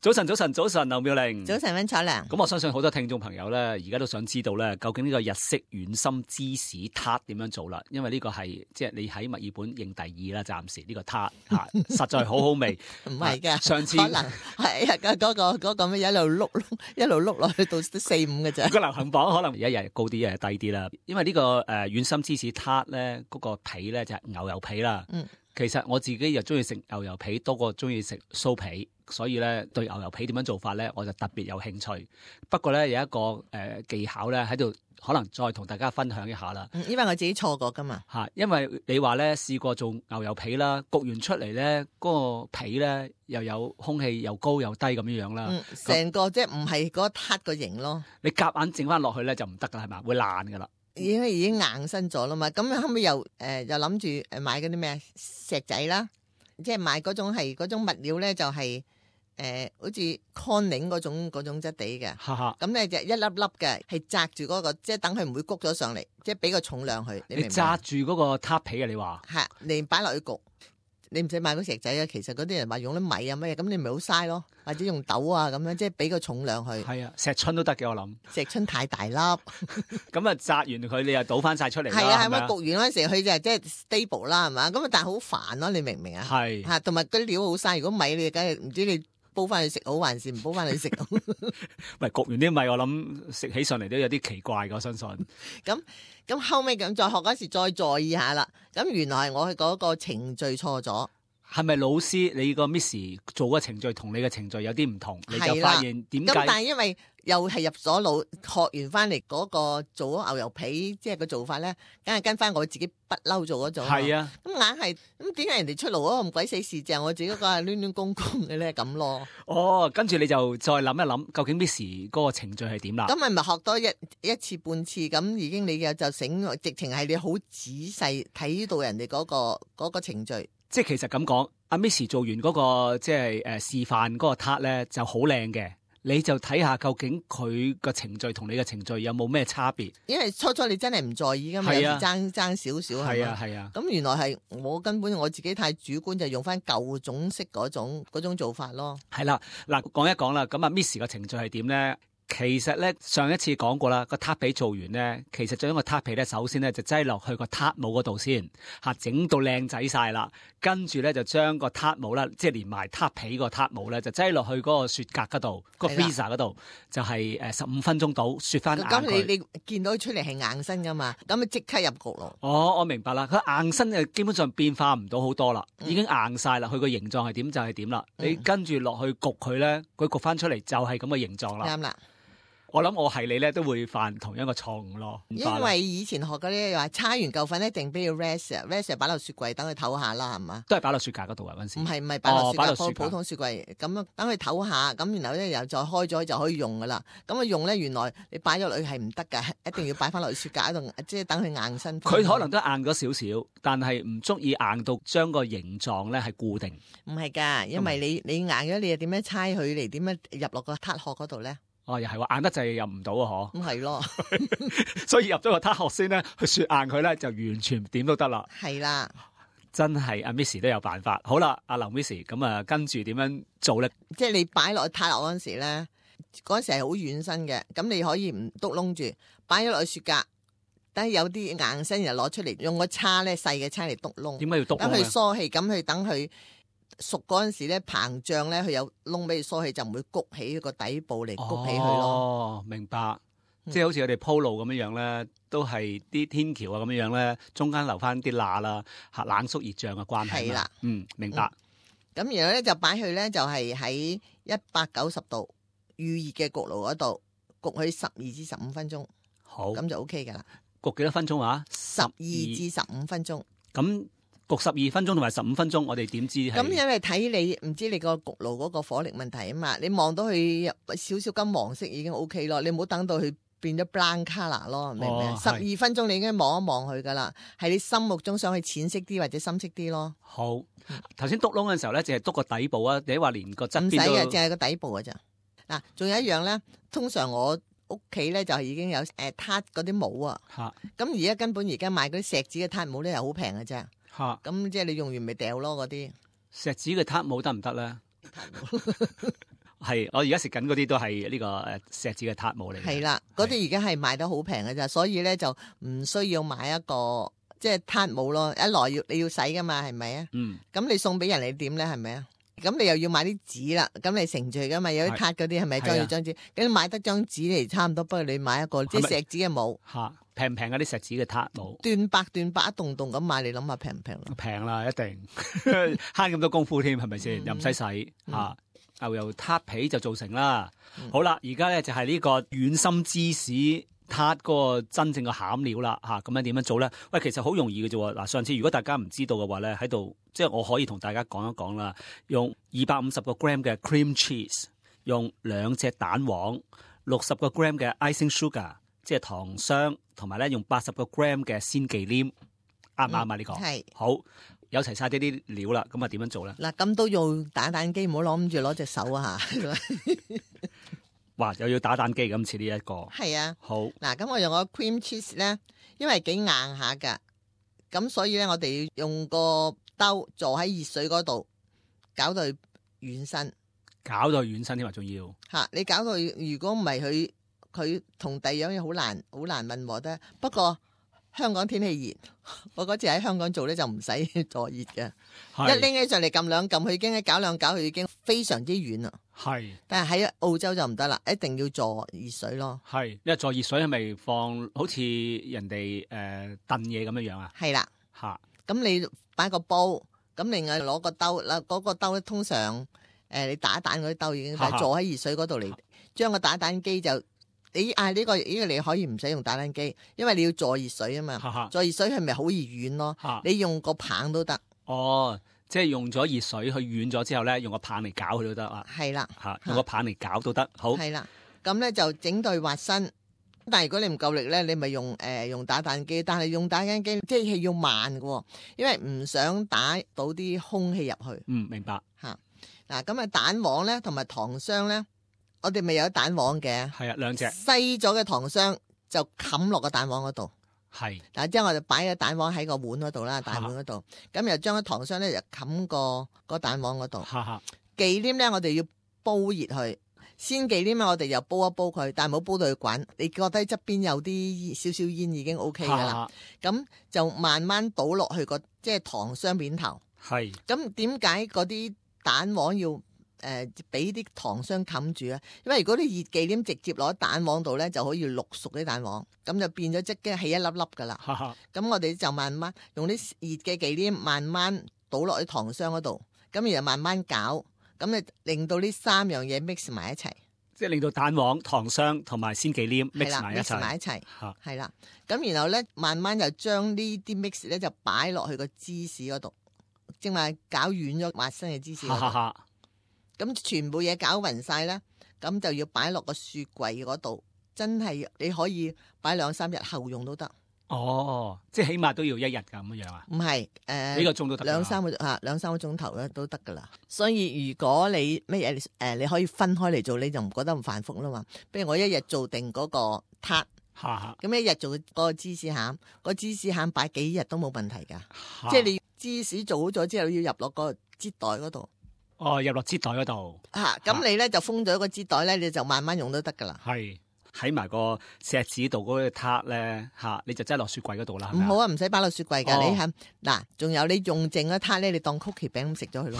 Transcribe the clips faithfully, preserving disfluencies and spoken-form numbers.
早晨，早晨，早晨，劉妙玲。早晨，溫楚良。咁我相信好多聽眾朋友咧，而家都想知道咧，究竟呢個日式軟心芝士撻點樣做啦？因為呢個係即係你喺墨爾本認第二啦，暫時呢個撻吓，實在好好味。唔係噶，上次可能係啊，嗰、嗰個嗰、嗰個咩一路碌碌一路碌落去到四五嘅啫。個流行榜可能一日高啲，一日低啲啦。因為呢、這個誒軟心芝士撻咧，嗰、嗰個皮咧就係牛油皮啦。嗯。其實我自己又中意食牛油皮多過中意食酥皮，所以咧對牛油皮點樣做法咧，我就特別有興趣。不過咧有一個誒、呃、技巧咧喺度，可能再同大家分享一下啦。因為我自己錯過噶嘛。嚇，因為你話咧試過做牛油皮啦，焗完出嚟咧嗰個皮咧又有空氣又高又低咁樣樣啦。嗯，成個即係唔係嗰撻個型咯。你夾硬整翻落去咧就唔得噶，係嘛？會爛噶啦。已經已經硬身咗啦嘛，咁後尾又誒、呃、又諗住誒買嗰啲咩石仔啦，即係買嗰種係嗰種物料咧就係、是、誒、呃、好似 corning 嗰種嗰種質地嘅，咁咧就一粒粒嘅係紮住嗰個，即係等佢唔會谷咗上嚟，即係俾個重量佢。你明唔明？紮住嗰個撻皮啊！你話係你擺落去焗。你唔使買嗰石仔啊，其實嗰啲人話用啲米啊乜嘢，咁你咪好嘥咯，或者用豆啊咁樣，即係俾個重量去。係啊，石春都得嘅，我諗。石春太大粒，咁啊紮完佢，你又倒翻晒出嚟啦。係啊，係咪焗完嗰陣時，佢就即係 stable 啦，係嘛？咁啊，但係好煩咯，你明唔明啊？係嚇，同埋嗰啲料好嘥。如果米你梗係唔知你煲翻去食好，還是唔煲翻去食好？唔係焗完啲米，我諗食起上嚟都有啲奇怪嘅，我相信。咁咁後尾咁再學嗰時再在意下啦。咁原來係我嗰個程序錯咗。係咪老師你個 Miss 做嘅程序同你嘅程序有啲唔同？你就發現點解？咁但係因為又係入咗腦，學完翻嚟嗰個做牛油皮，即係個做法咧，梗係跟翻我自己不嬲做嗰種。係啊，咁硬係咁點解人哋出爐啊咁鬼死事，就我自己個係亂亂公公嘅咧咁咯。哦，跟住你就再諗一諗，究竟 Miss 嗰個程序係點啦？咁咪咪學多一一次半次，咁已經你嘅就醒，直情係你好仔細睇到人哋嗰個嗰個程序。即係其實咁講，阿 Miss 做完嗰個即係誒示範嗰個撻咧就好靚嘅，你就睇下究竟佢個程序同你嘅程序有冇咩差別？因為初初你真係唔在意噶嘛，有時爭爭少少係啊係啊。咁原來係我根本我自己太主觀，就用翻舊種式嗰種嗰種做法咯。係啦，嗱講一講啦，咁啊 Miss 個程序係點咧？其實咧上一次講過啦，個撻皮做完咧，其實將個撻皮咧，首先咧就擠落去個撻模嗰度先，嚇整到靚仔晒啦，跟住咧就將個撻模啦，即係連埋撻皮個撻模咧，就擠落去嗰個雪格嗰度，個 freezer 嗰度，就係誒十五分鐘到雪翻硬佢。咁你你見到出嚟係硬身噶嘛？咁咪即刻入焗爐。哦，我明白啦，佢硬身就基本上變化唔到好多啦，已經硬晒啦，佢個形狀係點就係點啦。你跟住落去焗佢咧，佢焗翻出嚟就係咁嘅形狀啦。啱啦。我諗我係你咧，都會犯同樣嘅錯誤咯。因為以前學嗰啲話，叉完嚿粉一定俾佢 rest，rest 擺落雪櫃等佢唞下啦，係嘛？都係擺落雪架嗰度啊，嗰陣時。唔係唔係擺落雪架，普普通雪櫃咁樣等佢唞下，咁然後咧又再開咗就可以用噶啦。咁啊用咧，原來你擺咗落去係唔得噶，一定要擺翻落去雪架度，即係等佢硬身。佢可能都硬咗少少，但係唔足以硬到將個形狀咧係固定。唔係噶，因為你你硬咗，你又點樣猜佢嚟？點樣入落個撻殼嗰度咧？哦，又係話硬得滯入唔到啊！嗬，咁係咯，所以入咗個撻殼先咧，去雪硬佢咧，就完全點都得啦。係啦，真係阿 Miss 都有辦法。好啦，阿劉 Miss 咁啊，跟住點樣做咧？即係你擺落去撻落嗰陣時咧，嗰陣時係好軟身嘅，咁你可以唔篤窿住，擺咗落去雪格，等有啲硬身又攞出嚟，用個叉咧細嘅叉嚟篤窿。點解要篤窿？等佢疏氣，咁去等佢。熟嗰陣時咧，膨脹咧，佢有窿俾佢疏氣，就唔會谷起個底部嚟谷起佢咯。哦，明白。嗯、即係好似我哋鋪路咁樣樣咧，都係啲天橋啊咁樣樣咧，中間留翻啲罅啦，嚇冷縮熱脹嘅關係。係啦，嗯，明白。咁、嗯、然後咧就擺去咧就係喺一百九十度預熱嘅焗爐嗰度焗佢十二至十五分鐘。好，咁就 O K 噶啦。焗幾多分鐘啊？十二至十五分鐘。咁。焗十二分鐘同埋十五分鐘，我哋點知？咁因為睇你唔知你個焗爐嗰個火力問題啊嘛，你望到佢少少金黃色已經 O K 咯，你唔好等到佢變咗 brown colour 咯，明唔明？十二分鐘你已經望一望佢噶啦，係你心目中想去淺色啲或者深色啲咯。好，頭先篤窿嘅時候咧，淨係篤個底部啊，你話連個側邊都唔使嘅，淨係個底部嘅咋。嗱，仲有一樣咧，通常我屋企咧就已經有誒撻嗰啲帽啊，咁而家根本而家買嗰啲錫紙嘅撻帽咧又好平嘅啫。吓，咁即係你用完咪掉咯嗰啲錫紙嘅撻帽得唔得咧？係我而家食緊嗰啲都係呢個誒錫紙嘅撻模嚟嘅。係啦，嗰啲而家係賣得好平嘅咋，所以咧就唔需要買一個即係撻模咯。一來要你要洗噶嘛，係咪啊？嗯。咁你送俾人你點咧？係咪啊？咁你又要買啲紙啦，咁你盛住噶嘛？有啲撻嗰啲係咪裝住張紙？咁你買得張紙嚟差唔多，不如你買一個即係錫紙嘅模。嚇，平唔平嗰啲錫紙嘅撻模？斷百斷百一棟棟咁買，你諗下平唔平咯？平啦，一定慳咁多功夫添，係咪先？又唔使洗嚇。牛油撻皮就做成啦。嗯、好啦，而家咧就係呢個軟心芝士撻嗰個真正嘅餡料啦。嚇，咁樣點樣做咧？喂，其實好容易嘅啫喎。嗱，上次如果大家唔知道嘅話咧，喺度即係我可以同大家講一講啦。用二百五十個 gram 嘅 cream cheese，用兩隻蛋黃，六十個 gram 嘅 icing sugar， 即係糖霜，同埋咧用八十個 gram 嘅鮮忌廉，啱唔啱啊？呢、嗯、個係好。有齊晒呢啲料啦，咁啊點樣做咧？嗱，咁都用打蛋機，唔好諗住攞隻手啊嚇！哇，又要打蛋機咁似呢一個。係啊，好。嗱，咁我用個 cream cheese 咧，因為幾硬下㗎，咁所以咧我哋要用個兜坐喺熱水嗰度，搞到佢軟身，搞到佢軟身添啊，仲要嚇！你搞到如果唔係佢佢同第二樣嘢好難好難混和得，不過。香港天氣熱，我嗰次喺香港做咧就唔使坐熱嘅，一拎起上嚟撳兩撳，佢已經搞兩搞，佢已經非常之軟啦。係，但係喺澳洲就唔得啦，一定要坐熱水咯。係，因為坐熱水係咪放好似人哋誒燉嘢咁樣樣啊？係啦，嚇，咁你擺個煲，咁另外攞個兜啦，嗰、嗰個兜咧通常誒、呃、你打蛋嗰啲兜已經係坐喺熱水嗰度嚟，將個打蛋機就。你啊呢、這個呢、這個你可以唔使用，用打蛋機，因為你要坐熱水啊嘛。哈哈坐熱水係咪好易軟咯？哈你用個棒都得。哦，即係用咗熱水去軟咗之後咧，用個棒嚟攪佢都得啊。係啦，嚇用個棒嚟攪都得。好。係啦，咁咧就整對滑身。但係如果你唔夠力咧，你咪用誒、呃、用打蛋機。但係用打蛋機即係要慢嘅，因為唔想打到啲空氣入去。嗯，明白。嚇嗱，咁啊蛋黃咧同埋糖霜咧。我哋咪有蛋黃嘅，係啊，兩隻細咗嘅糖霜就冚落個蛋黃嗰度，係。嗱，之後我就擺個蛋黃喺個碗嗰度啦，大碗嗰度，咁又將個糖霜咧就冚個個蛋黃嗰度。忌廉咧，我哋要煲熱佢，鮮忌廉我哋又煲一煲佢，但係唔好煲到佢滾。你覺得側邊有啲少少煙已經 O K 噶啦，咁就慢慢倒落去個即係糖霜面頭。係。咁點解嗰啲蛋黃要？誒，俾啲、呃、糖霜冚住啊！因為如果啲熱忌廉直接攞蛋黃度咧，就可以淥熟啲蛋黃，咁就變咗即係起一粒粒噶啦。咁我哋就慢慢用啲熱嘅忌廉慢慢倒落去糖霜嗰度，咁然後慢慢攪，咁就令到呢三樣嘢 mix 埋一齊，即係令到蛋黃、糖霜同埋鮮忌廉 mix 埋一齊。埋一齊，係啦。咁然後咧，慢慢就將呢啲 mix 咧就擺落去個芝士嗰度，正話攪軟咗滑身嘅芝士。咁全部嘢攪勻晒咧，咁就要擺落個雪櫃嗰度，真係你可以擺兩三日後用都得。哦，即係起碼都要一日咁樣啊？唔係，誒、呃、幾個鐘都得，兩三個嚇兩三個鐘頭咧都得噶啦。所以如果你乜嘢誒，你可以分開嚟做，你就唔覺得咁繁複啦嘛。譬如我一日做定嗰個撻，咁一日做嗰個芝士餡，個芝士餡擺幾日都冇問題噶。即係你芝士做好咗之後，要入落個擠袋嗰度。哦，入落支袋嗰度嚇，咁、啊、你咧就封咗個支袋咧，你就慢慢用都得噶啦。係喺埋個錫紙度嗰個撻咧嚇，你就擠落雪櫃嗰度啦。唔好啊，唔使擺落雪櫃㗎。哦、你係嗱，仲有你用剩嗰撻咧，你當曲奇餅咁食咗佢咯。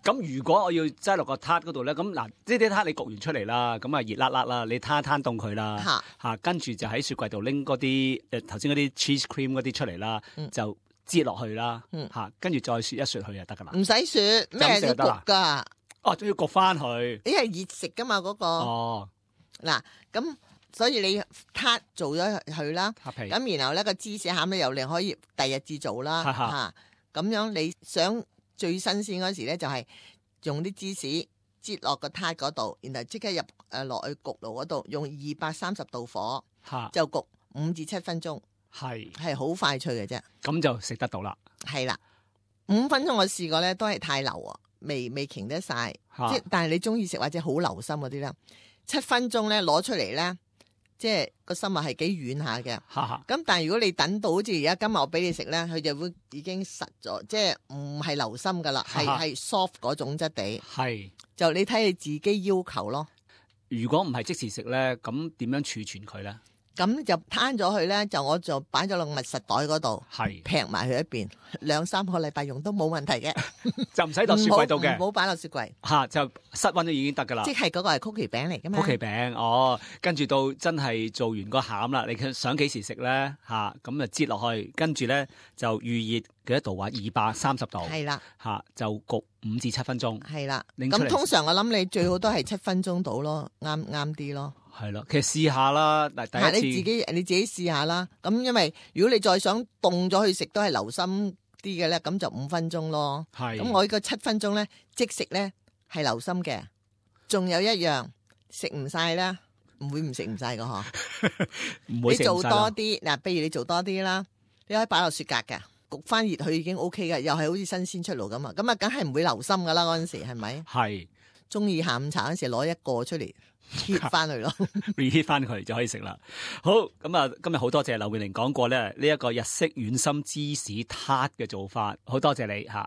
咁如果我要擠落個撻嗰度咧，咁嗱，呢啲撻你焗完出嚟啦，咁啊熱辣辣啦，你攤攤凍佢啦嚇嚇，跟住就喺雪櫃度拎嗰啲誒頭先嗰啲 cheese cream 嗰啲出嚟啦，嗯、就。擠落去啦，嚇，跟住再雪一雪佢就得噶啦。唔使雪，咩都焗噶。哦，仲要焗翻佢。你係熱食噶嘛嗰個？哦，嗱，咁所以你撻做咗佢啦，咁然後咧個芝士餡咧又另可以第日至做啦，嚇。咁樣你想最新鮮嗰時咧，就係用啲芝士擠落個撻嗰度，然後即刻入誒落去焗爐嗰度，用二百三十度火，就焗五至七分鐘。係係好快脆嘅啫，咁就食得到啦。係啦，五分鐘我試過咧，都係太流啊，未未擎得晒。即係但係你中意食或者好留心嗰啲咧，七分鐘咧攞出嚟咧，即係個心啊係幾軟下嘅。哈哈。咁但係如果你等到好似而家今日我俾你食咧，佢就會已經實咗，即係唔係流心噶啦，係係 soft 嗰種質地。係。就你睇你自己要求咯。如果唔係即時食咧，咁點樣儲存佢咧？咁就攤咗佢咧，就我就擺咗落密實袋嗰度，係劈埋佢一邊，兩三個禮拜用都冇問題嘅，就唔使落雪櫃度嘅，唔好擺落雪櫃嚇，就室溫都已經得噶啦。即係嗰個係曲奇餅嚟噶嘛？曲奇餅哦，跟住到真係做完個餡啦，你想幾時食咧？嚇，咁就擠落去，跟住咧就預熱幾多度啊？二百三十度，係啦，嚇就焗五至七分鐘，係啦。咁通常我諗你最好都係七分鐘到咯，啱啱啲咯。係咯，其實試下啦，嗱第一次你自己你自己試下啦。咁因為如果你再想凍咗去食都係流心啲嘅咧，咁就五分鐘咯。係。咁我呢個七分鐘咧即食咧係流心嘅。仲有一樣食唔晒啦，唔會唔食唔晒噶嗬。唔會食唔晒。你做多啲嗱，譬如你做多啲啦，你可以擺落雪格嘅，焗翻熱佢已經 O K 嘅，又係好似新鮮出爐咁啊。咁啊，梗係唔會流心噶啦嗰陣時係咪？係。中意下午茶嗰陣時攞一個出嚟。heat 翻去咯，reheat 翻佢就可以食啦。好，咁啊，今日好多謝劉妙玲講過咧呢一個日式軟心芝士撻嘅做法，好多謝你吓。